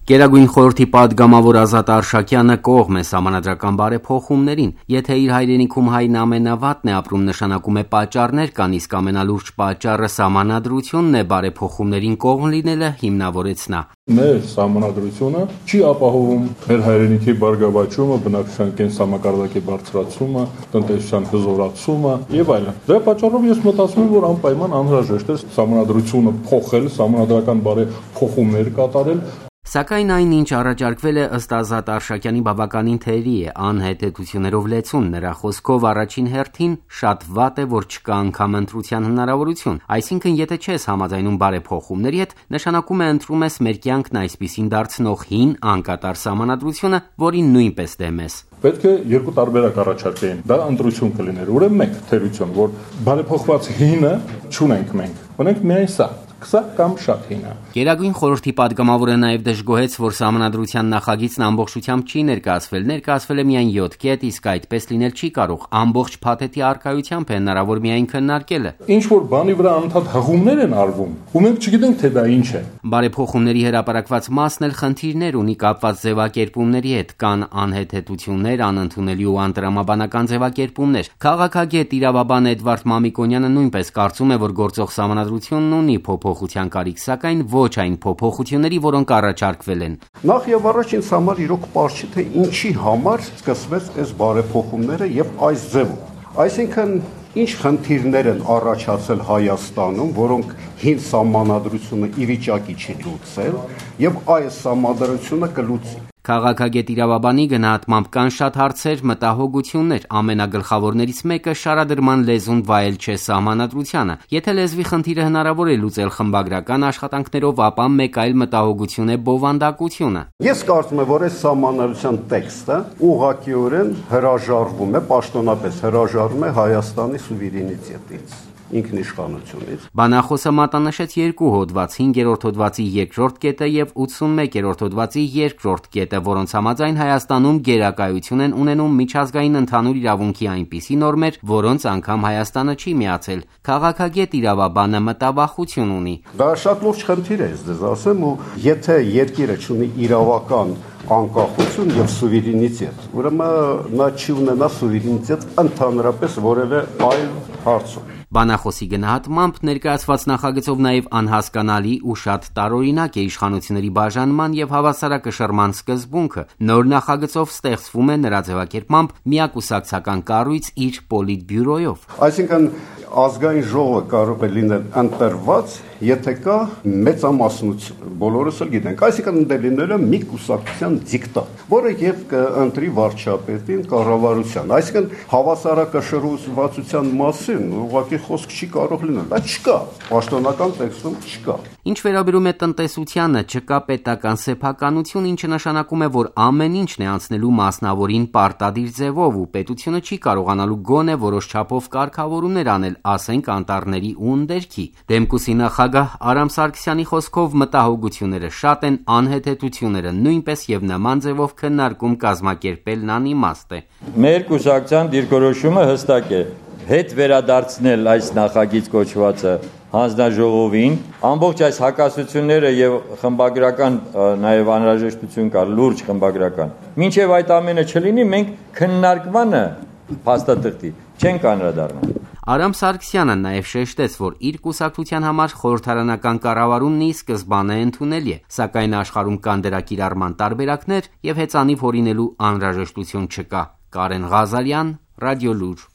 Գերագույն խորհրդի պատգամավոր Ազատ Արշակյանը կողմ է սահմանադրական բարեփոխումներին, եթե իր հայրենիքում հայն ամենավատն է ապրում, նշանակում է պատճառներ կան, իսկ ամենալուրջ պատճառը սահմանադրությունն է, բարեփոխումներին կողմ լինելը հիմնավորեց նա։ Մեր սահմանադրությունը չի ապահովում մեր հայրենիքի բարգավաճումը, բնակչության կենսամակարդակի բարձրացումը, տնտեսության հզորացումը եւ այլն։ Դրա պատճառով ես մտածում եմ, որ անպայման անհրաժեշտ է սահմանադրությունը փոխել, սահմանադրական բարեփոխումներ կատարել։ Սակայն այն, ինչ առաջարկվել է, ըստ Ազատ Արշակյանի, բավականին թերի է, անհետեցություններով լեցուն, նրա խոսքով առաջին հերթին շատ վատ է, որ չկա անգամ ընտրության հնարավորություն, այսինքն եթե չես համաձայնում բարեփոխումների հետ, նշանակում է ընտրում ես մեր կյանքն այսպիսին դարձնող հին անկատար սահմանադրությունը, որին նույնպես դեմ ես։ Պետք է երկու տարբերակ առաջարկեին, դա ընտրություն կլիներ, ուրեմն մեկ թերություն, որ բարեփոխված հինը չունենք մենք, ունենք միայն սա կամ շատ հինը։ Գերագույն խորհրդի պատգամավորը նաև դժգոհեց, որ սահմանադրության նախագիծն ամբողջությամբ չի ներկայացվել է միայն 7 կետ, իսկ այդպես լինել չի կարող, ամբողջ փաթեթի առկայությամբ է հնարավոր միայն քննարկելը։ Ինչ որ բանի վրա անդադ հղումներ են արվում, ու մենք չգիտենք, թե դա ինչ է։ Բարեփոխումների հրապարակված մասն էլ խնդիրներ ունի կապված ձևակերպումների հետ, կան անհետեցություններ, անընդունելի ու անտրամաբանական ձևակերպումներ։ Քաղաքագետ իրավաբան Էդվարդ Մամիկոնյանը նույնպես կարծում է, որ գործող սահմանադրությունն ունի փոփոխության կարիք, սակայն ոչ այն փոփոխությունների, որոնք առաջարկվել են։ Նախ եւ առաջ ինձ համար իրոք պարզ չի, թե ինչի համար սկսվեց այս բարեփոխումները եւ այս ձևով։ Այսինքն ինչ խնդիրներ են առաջացել Հայաստանում, որոնք հին սահմանադրությունը ի վիճակի չի լուծել եւ այս սահմանադրությունը կլուծի։ Քաղաքագետ իրավաբանի գնահատմամբ կան շատ հարցեր, մտահոգություններ, ամենագլխավորներից մեկը շարադրման լեզուն վայել չէ սահմանադրությանը։ Եթե լեզվի խնդիրը հնարավոր է լուծել խմբագրական աշխատանքներով, ապա մեկ այլ մտահոգություն է բովանդակությունը։ Ես կարծում եմ, որ այս սահմանադրության տեքստը ուղղակիորեն հրաժարվում է, պաշտոնապես հրաժարվում է Հայաստանի սուվերենիտետից, ինքնիշխանությունից։ Բանախոսը մատնանշեց երկու հոդված, 5-րդ հոդվածի 2-րդ կետը եւ 81-րդ հոդվածի 2-րդ կետը, որոնց համաձայն Հայաստանում գերակայություն են ունենում միջազգային ընդհանուր իրավունքի այնպիսի նորմեր, որոնց անգամ Հայաստանը չի միացել։ Քաղաքագետ իրավաբանը մտավախություն ունի։ Դա շատ լուրջ խնդիր է, ես ասեմ, ու եթե երկիրը չունի իրավական անկախություն եւ սուվերենիտետ, ուրեմն նա չի ունենա սուվերենիտետ ընդհանրապես որևէ այլ հարցում։ Բանախոսի գնահատմամբ ներկայացված նախագծով նաև անհասկանալի ու շատ տարօրինակ է իշխանությունների բաժանման եւ հավասարակշռման սկզբունքը։ Նոր նախագծով ստեղծվում է նրա ձևակերպմամբ միակուսակցական կառույց իր պոլիտբյուրոյով։ Այսինքն ազգային ժողովը կարող է լինել ընտրված, եթե կա մեծամասնություն, բոլորս էլ գիտենք, այսինքն ընդ լինելը մի կուսակցության դիկտատ, որը եւ կընտրի վարչապետին կառավարության, այսինքն հավասարակշռվածության մասին ուղղակի խոսք չի կարող լինել, դա չկա, պաշտոնական տեքստում չկա։ Ինչ վերաբերում է տնտեսությանը, չկա պետական սեփականություն, ինչը նշանակում է, որ ամեն ինչն է անցնելու մասնավորին պարտադիր ձևով ու պետությունը չի կարողանալու գոնե որոշ չափով կարգավորումներ անել, ասենք անտառների ու ընդերքի։ Դեմկուսի նախագահ Արամ Սարգսյանի խոսքով մտահոգությունները շատ են, անհետեցությունները նույնպես եւ նման ձևով քննարկում կազմակերպելն անիմաստ է։ Մեր կուսակցության դիրքորոշումը հստակ է. հետ վերադարձնել այս նախագիծ կոչվածը հանձնաժողովին, ամբողջ այս հակասությունները եւ խմբագրական նաեւ անհրաժեշտություն կա, լուրջ խմբագրական։ Մինչեւ այդ ամենը չլինի, մենք քննարկմանը փաստաթղթի չենք անդրադառնա։ Արամ Սարգսյանը նաև շեշտեց, որ իր կուսակցության համար խորհրդարանական կառավարումն ի սկզբանե ընդունելի է, սակայն աշխարհում կան դրա կիրառման տարբերակներ եւ հեծանիվ հորինելու անհրաժեշտություն չկա։ Կարեն Ղազարյան, Ռադիոլուր։